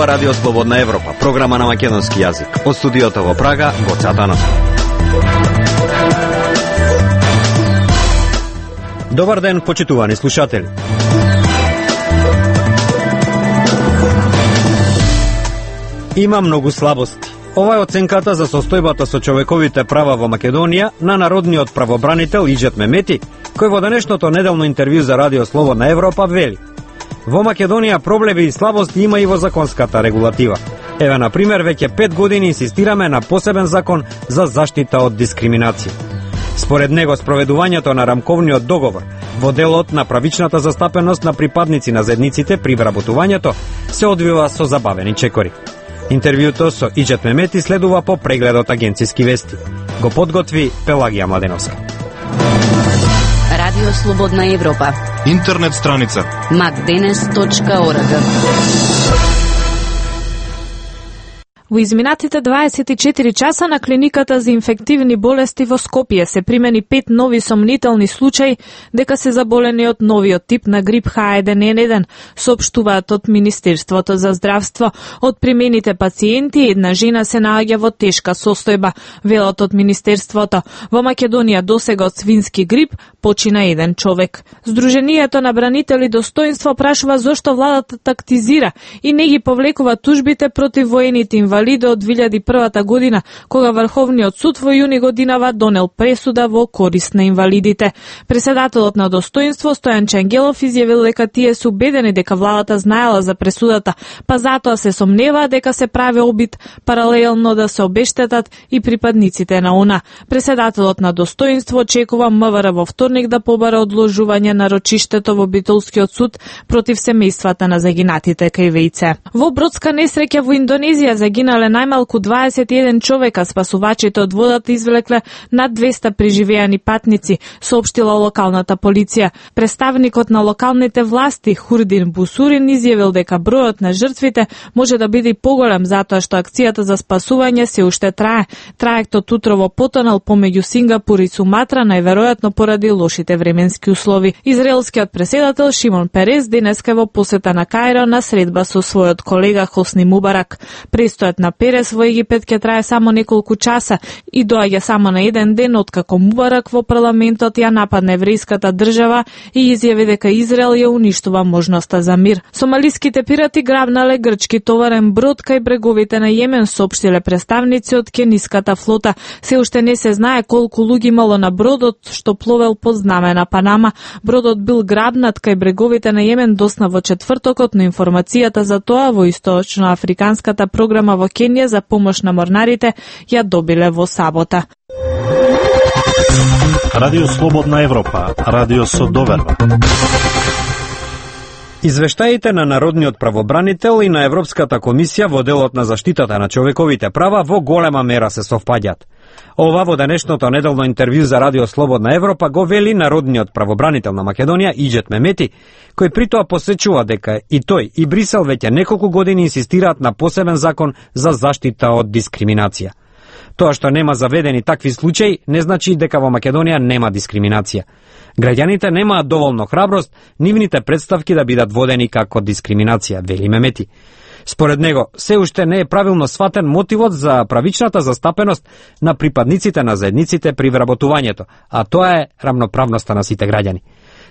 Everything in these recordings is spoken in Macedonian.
Радио Слободна Европа, програма на македонски јазик. Од студиото во Прага, Гоце Атанасов. Добар ден, почитувани слушатели. Има многу слабости. Ова е оценката за состојбата со човековите права во Македонија на народниот правобранител Иџет Мемети, кој во денешното неделно интервју за Радио Слободна Европа вели: во Македонија проблеми и слабости има и во законската регулатива. Еве, на пример, веќе 5 години инсистираме на посебен закон за заштита од дискриминација. Според него, спроведувањето на рамковниот договор во делот на правичната застапеност на припадници на заедниците при вработувањето се одвива со забавени чекори. Интервјуто со Иџет Мемети следува по прегледот Агенциски вести. Го подготви Пелагија Младеновска. Радио Слободна Европа. Интернет страница macdenes.org. Во изминатите 24 часа на клиниката за инфективни болести во Скопје се примени 5 нови сомнителни случаи дека се заболени од новиот тип на грип H1N1, соопштуваат од Министерството за здравство. Од примените пациенти, една жена се наоѓа во тешка состојба, велат од Министерството. Во Македонија досега од свински грип почина еден човек. Сдруженијето на бранители достоинство прашува зошто владата тактизира и не ги повлекува тужбите против воените инвалиди од 2001 година, кога Врховниот суд во јуни годинава донел пресуда во корист на инвалидите. Преседателот на достоинство Стојан Чангелов изјавил дека тие се убедени дека владата знаела за пресудата, па затоа се сомневаат дека се прави обид паралелно да се обештетат и припадниците на ОНА. Преседателот на достоинство очекува МВР во вторник да побара одложување на рочиштето во Битолскиот суд против семејствата на загинатите кај ВИЦ. Во бродска несреќа во Индонезија загинале најмалку 21 човека, спасувачите од водата извлекле над 200 преживеани патници, соопштила локалната полиција. Представникот на локалните власти Хурдин Бусурин изјавил дека бројот на жртвите може да биде поголем затоа што акцијата за спасување се уште трае. Траектот утрово потонал помеѓу Сингапур и Суматра, најверојатно поради лошите временски услови. Израелскиот преседател Шимон Перес денеска во посета на Каиро на средба со својот колега Хосни Мубарак. Престојот на Перес во Египет ќе трае само неколку часа и доаѓа само на еден ден откако Мубарак во парламентот ја нападна еврејската држава и изјави дека Израел ја уништува можноста за мир. Сомалиските пирати грабнале грчки товарен брод кај бреговите на Јемен, соопштиле представници од кениската флота. Се уште не се знае колку луѓе имало на бродот што пловел под знаме на Панама. Бродот бил грабнат кај бреговите на Јемен досна во четвртокот, но информацијата за тоа во источноафриканската програма во Кенија за помош на морнарите ја добиле во сабота. Радио Слободна Европа, радио со доверба. Извештаите на Народниот правобранител и на Европската комисија во делот на заштитата на човековите права во голема мера се совпаѓаат. Ова во денешното неделно интервју за Радио Слободна Европа го вели Народниот правобранител на Македонија Иџет Мемети, кој притоа посечува дека и тој и Брисел веќе неколку години инсистираат на посебен закон за заштита од дискриминација. Тоа што нема заведени такви случаи не значи дека во Македонија нема дискриминација. Граѓаните немаат доволно храброст нивните представки да бидат водени како дискриминација, вели Мемети. Според него, се уште не е правилно сватен мотивот за правичната застапеност на припадниците на заедниците при вработувањето, а тоа е рамноправноста на сите граѓани.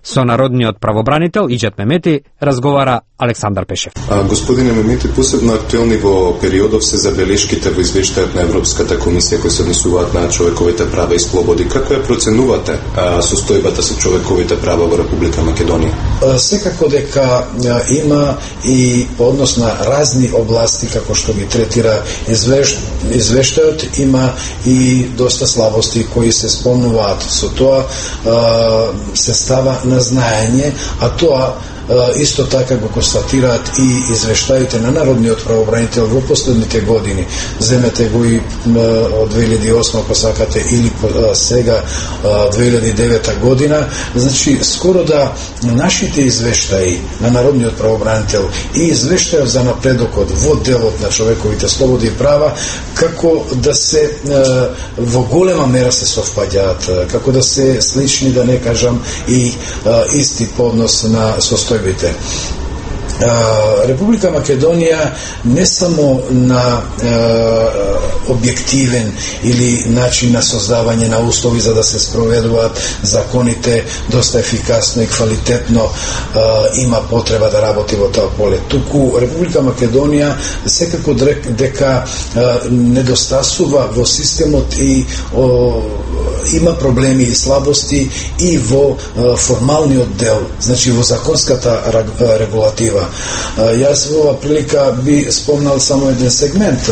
Со народниот правобранител Иџет Мемети разговара Александар Пешев. Господине Мемети, посебно актуелни во периодов се забелешките во извештајот на Европската комисија кои се однесуваат на човековите права и слободи. Како ја проценувате состојбата со човековите права во Република Македонија? Секако дека има и по однос на разни области како што ги третира извештајот, има и доста слабости кои се спомнуваат. Со тоа се става на знаење, а тоа исто така го констатираат и извештаите на Народниот правобранител во последните години. Земете го и од 2008, ако сакате, или сега 2009 година. Значи, скоро да нашите извештаи на Народниот правобранител и извештајот за напредокот во делот на човековите слободи и права, како да се во голема мера се совпаѓаат, како да се слични, да не кажам, и исти по однос на состојбите. Република Македонија не само на објективен или начин на создавање на услови за да се спроведуваат законите доста ефикасно и квалитетно има потреба да работи во тоа поле. Туку Република Македонија секако дека недостасува во системот и има проблеми и слабости и во формалниот дел, значи во законската регулатива. Јас во ова прилика би спомнал само еден сегмент.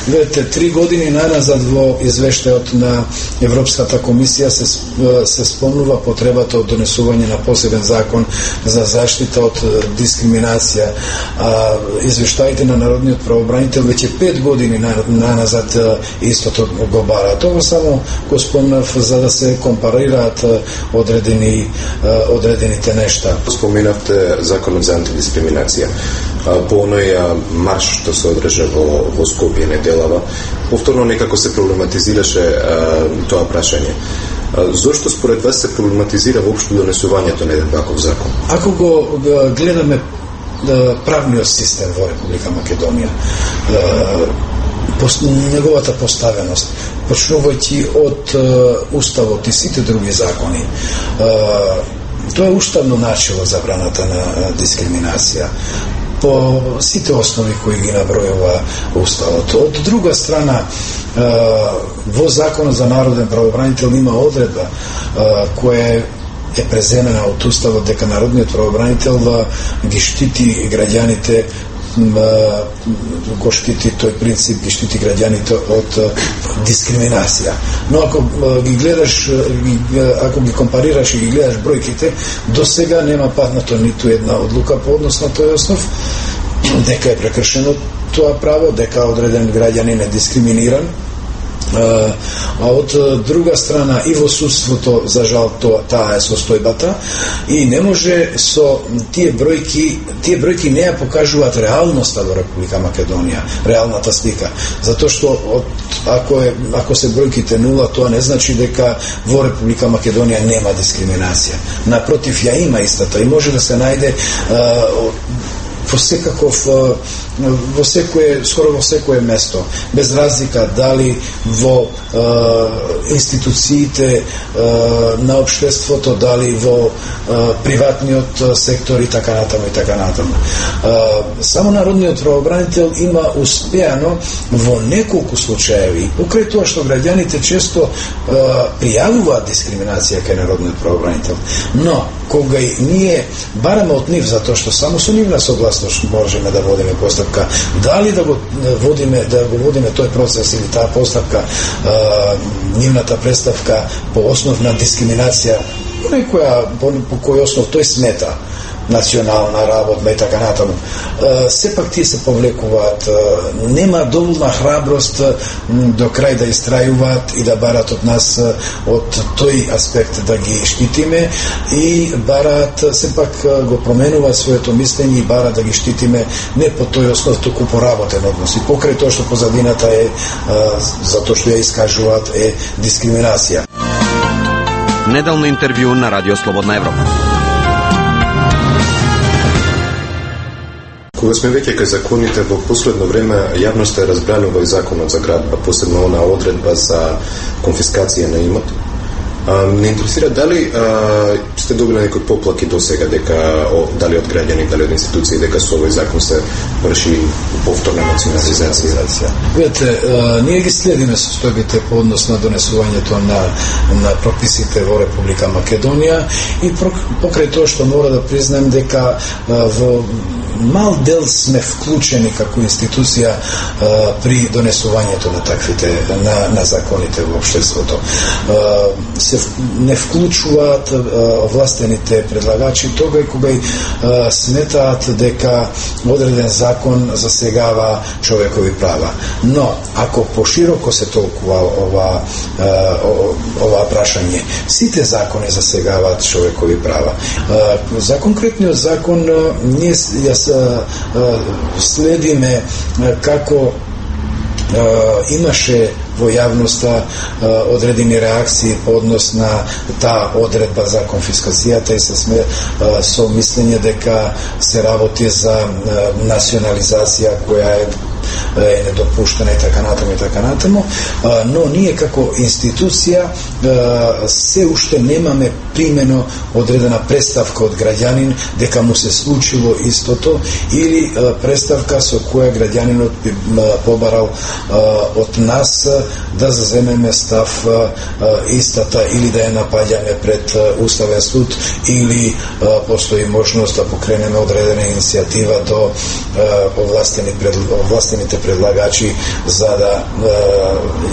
Видете, 3 години наназад во извештајот на Европската комисија се спомнува потребата од донесување на посебен закон за заштита од дискриминација. Извештаите на народниот правобранител веќе 5 години наназад истото го бара. Тоа само го спомнав за да се компарираат одредените нешта. Споменавте законот за антидискриминација. По оној марш што се одржа во Скопје неделава, повторно некако се проблематизираше тоа прашање. Зошто според вас се проблематизира воопшто донесувањето на еден ваков закон? Ако го гледаме правниот систем во Република Македонија, неговата поставеност, почнувајќи од Уставот и сите други закони, тоа е уставно начело забраната на дискриминација по сите основи кои ги набројува Уставот. Од друга страна, во Законот за народен правобранител има одредба која е преземена од Уставот дека народниот правобранител ги штити граѓаните, го штити тој принцип, ги штити граѓаните од дискриминација. Но ако ги гледаш, ако ги компарираш и ги гледаш бројките, до сега нема паднато ниту една одлука по однос на тој основ, дека е прекршено тоа право, дека одреден граѓанин е дискриминиран. А од друга страна и во судството, за жал, таа е состојбата и не може со тие бројки не ја покажуваат реалноста во Република Македонија, реалната слика, затоа што ако се бројките нула, тоа не значи дека во Република Македонија нема дискриминација. Напротив, ја има истата и може да се најде скоро во секое место, без разлика дали во институциите на општеството, дали во приватниот сектор и така натаму и така натаму. Само народниот правобранител има успеано во неколку случаеви, покрај тоа што граѓаните често пријавуваат дискриминација кај народниот правобранител, но кога ние бараме од нив, затоа што само со нивна согласност можеме да водиме постапка, дали да го водиме тој процес или таа постапка, нивната представка по основ на дискриминација, по кој основ тој смета национална работа и така натаму. Сепак тие се повлекуваат, нема доволна храброст до крај да истрајуваат и да барат од нас од тој аспект да ги штитиме и барат, сепак го променуваат своето мислење и барат да ги штитиме не по тој основ, туку по работен однос. И покрај тоа што позадината е, затоа што ја искажуваат, е дискриминација. Неделно интервју на Радио Слободна Европа. Кога сме веќе кај законите, во последно време јавноста е разбранува и законот за градба, посебно она одредба за конфискација на имот. Не интересира дали сте добили некои поплаки до сега, дека дали од граѓани, дали од институции, дека со овој закон се врши повторна национализација. Видете, ние ги следиме состојбите по однос на донесувањето на прописите во Република Македонија и покрај тоа што мора да признаем дека во мал дел сме вклучени како институција при донесувањето на таквите на законите во општеството. Се не вклучуваат овластените предлагачи тога кога сметаат дека одреден закон засегава човекови права. Но ако пошироко се толкува ова прашање, сите закони засегаваат човекови права. За конкретниот закон ние следиме како имаше во јавноста одредени реакции по однос на таа одредба за конфискацијата и со мислење дека се работи за национализација која е недопуштена и така натаму, но ние како институција се уште немаме примено одредена представка од граѓанин дека му се случило истото или представка со која граѓанинот би побарал од нас да заземеме став истата или да ја напаѓаме пред Уставен суд или постои можност да покренеме одредена иницијатива до овластените предлагачи за да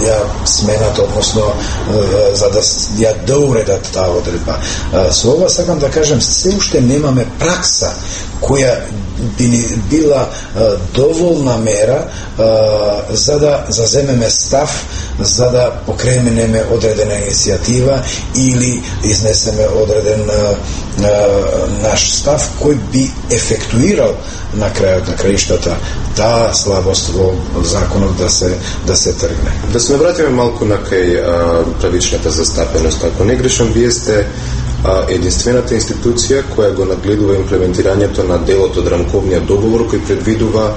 ја сменат, односно за да ја доуредат таа одредба. Со ова сакам да кажем, се уште немаме пракса која би ни била доволна мера за да заземеме став, за да покренеме одредена иницијатива или изнесеме одреден наш став кој би ефектуирал на крајот на краиштата таа слабост во законот да се тргне. Да се навратиме малку на кај правичната застапеност. Ако не грешам, вие сте единствената институција која го нагледува имплементирањето на делот од рамковниот договор кој предвидува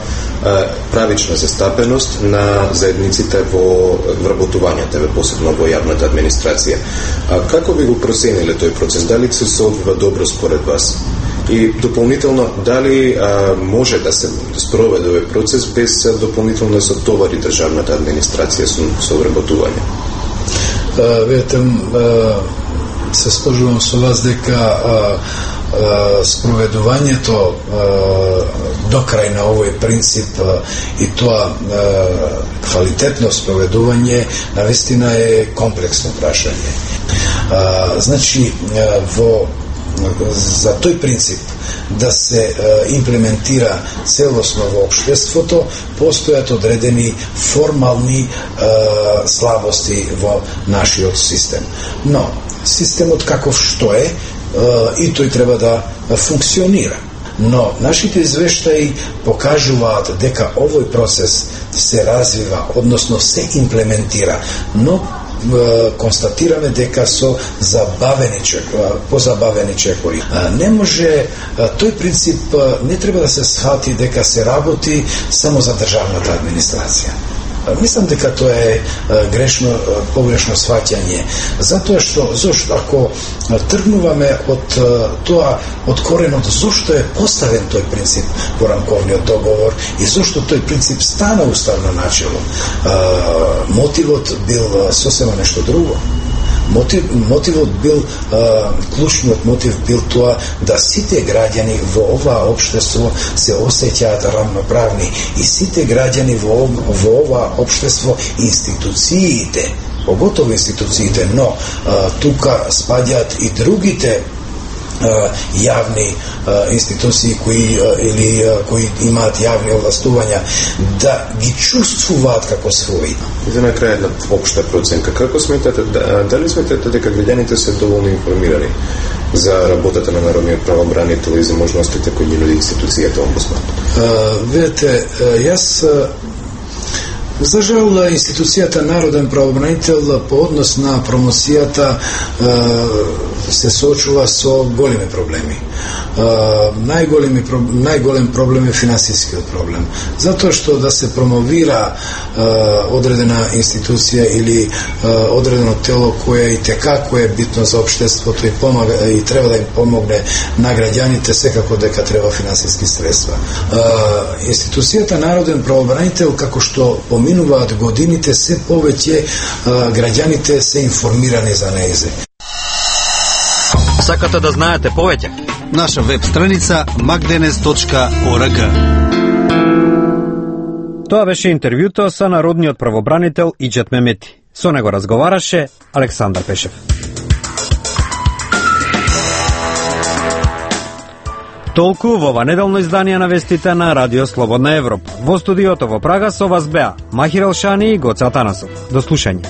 правична застапеност на заедниците во вработувањето, посебно во јавната администрација. Како би го процениле тој процес? Дали се одвива добро според вас? И дополнително, дали може да се спроведе овој процес без дополнително да се товари државната администрација со вработување? Видете, се сложувам со вас дека спроведувањето до крај на овој принцип и тоа квалитетно спроведување навистина е комплексно прашање. Значи, за тој принцип да се имплементира целосно во општеството, постојат одредени формални слабости во нашиот систем. Но системот каков што е, и тој треба да функционира. Но нашите извештаи покажуваат дека овој процес се развива, односно се имплементира, но констатираме дека со позабавени чекори. Не може, тој принцип не треба да се схвати дека се работи само за државната администрација. Мислам дека тоа е погрешно сваќање. Затоа што ако тргнуваме од тоа, од коренот, зошто е поставен тој принцип во рамковниот договор и зошто тој принцип стана уставно начело, мотивот бил сосема нешто друго. Мотивот бил, клучниот мотив бил тоа да сите граѓани во оваа општество се осеќаат равноправни и сите граѓани во оваа општество, институциите, поготово институциите, но тука спаѓаат и другите јавни институции кои имаат јавни овластувања, да ги чувствуваат како своји. И за на крај една општа проценка. Како сметате, дали сметате дека граѓаните се доволно информирани за работата на народниот правобранител и за можностите кои ги нуди институцијата омбудсман? Видете, јас за жал, институцијата народен правобранител по однос на промоцијата се соочува со големи проблеми. Најголем проблем е финансискиот проблем. Затоа што да се промовира одредена институција или одредено тело кое и текако е битно за општеството и треба да им помогне на граѓаните, секако дека треба финансиски средства. Институцијата народен правобранител, како што поминуваат годините, се повеќе граѓаните се информирани за нејзе. Сакате да знаете повеќе? Наша веб страница magdenes.org. Тоа беше интервјуто со народниот правобранител Иџет Мемети. Со него разговараше Александар Пешев. Толку во ова неделно издание на вестите на Радио Слободна Европа. Во студиото во Прага со вас беа Махир Елшани и Гоце Атанасов. До слушање.